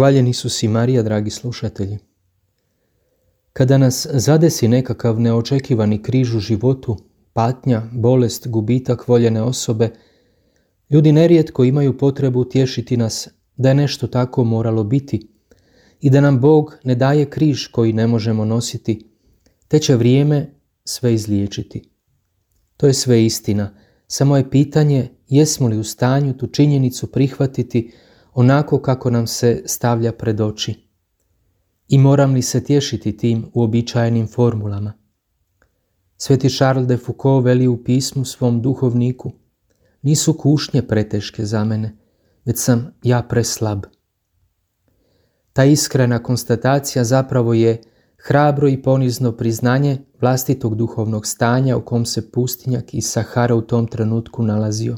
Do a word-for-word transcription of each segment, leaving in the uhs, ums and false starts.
Hvaljen Isus i Marija, dragi slušatelji. Kada nas zadesi nekakav neočekivani križ u životu, patnja, bolest, gubitak voljene osobe, ljudi nerijetko imaju potrebu utješiti nas da je nešto tako moralo biti i da nam Bog ne daje križ koji ne možemo nositi, te će vrijeme sve izliječiti. To je sve istina, samo je pitanje jesmo li u stanju tu činjenicu prihvatiti onako kako nam se stavlja pred oči. I moram li se tješiti tim uobičajenim formulama? Sveti Charles de Foucault veli u pismu svom duhovniku: nisu kušnje preteške za mene, već sam ja preslab. Ta iskrena konstatacija zapravo je hrabro i ponizno priznanje vlastitog duhovnog stanja u kom se pustinjak iz Sahara u tom trenutku nalazio.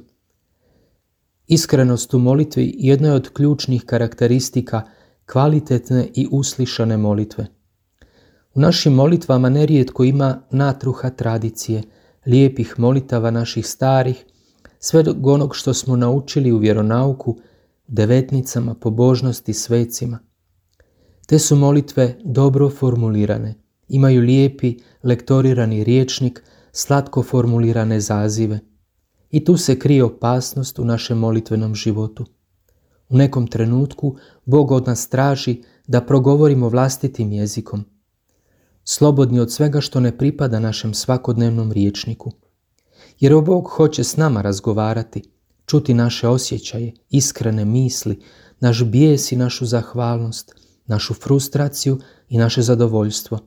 Iskrenost u molitvi jedna je od ključnih karakteristika kvalitetne i uslišane molitve. U našim molitvama nerijetko ima natruha tradicije, lijepih molitava naših starih, sve do onog što smo naučili u vjeronauku, devetnicama, pobožnosti, svecima. Te su molitve dobro formulirane, imaju lijepi, lektorirani rječnik, slatko formulirane zazive. I tu se krije opasnost u našem molitvenom životu. U nekom trenutku Bog od nas traži da progovorimo vlastitim jezikom, slobodni od svega što ne pripada našem svakodnevnom rječniku. Jer Bog hoće s nama razgovarati, čuti naše osjećaje, iskrene misli, naš bijes i našu zahvalnost, našu frustraciju i naše zadovoljstvo,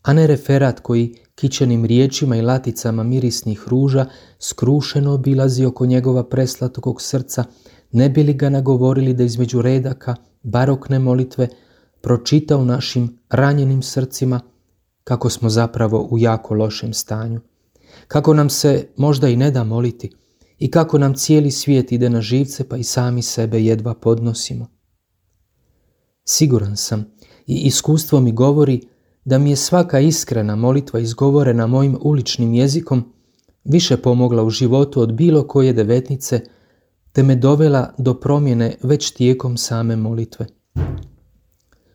a ne referat koji kićenim riječima i laticama mirisnih ruža skrušeno obilazi oko njegova preslatog srca, ne bi li ga nagovorili da između redaka barokne molitve pročita u našim ranjenim srcima kako smo zapravo u jako lošem stanju, kako nam se možda i ne da moliti i kako nam cijeli svijet ide na živce pa i sami sebe jedva podnosimo. Siguran sam i iskustvo mi govori da mi je svaka iskrena molitva izgovorena mojim uličnim jezikom više pomogla u životu od bilo koje devetnice, te me dovela do promjene već tijekom same molitve.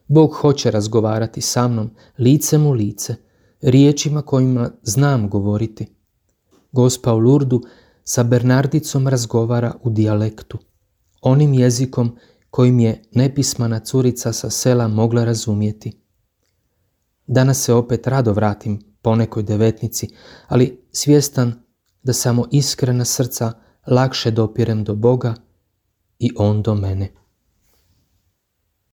Bog hoće razgovarati sa mnom licem u lice, riječima kojima znam govoriti. Gospa u Lurdu sa Bernardicom razgovara u dijalektu, onim jezikom kojim je nepismana curica sa sela mogla razumjeti. Danas se opet rado vratim po nekoj devetnici, ali svjestan da samo iskrena srca lakše dopirem do Boga i On do mene.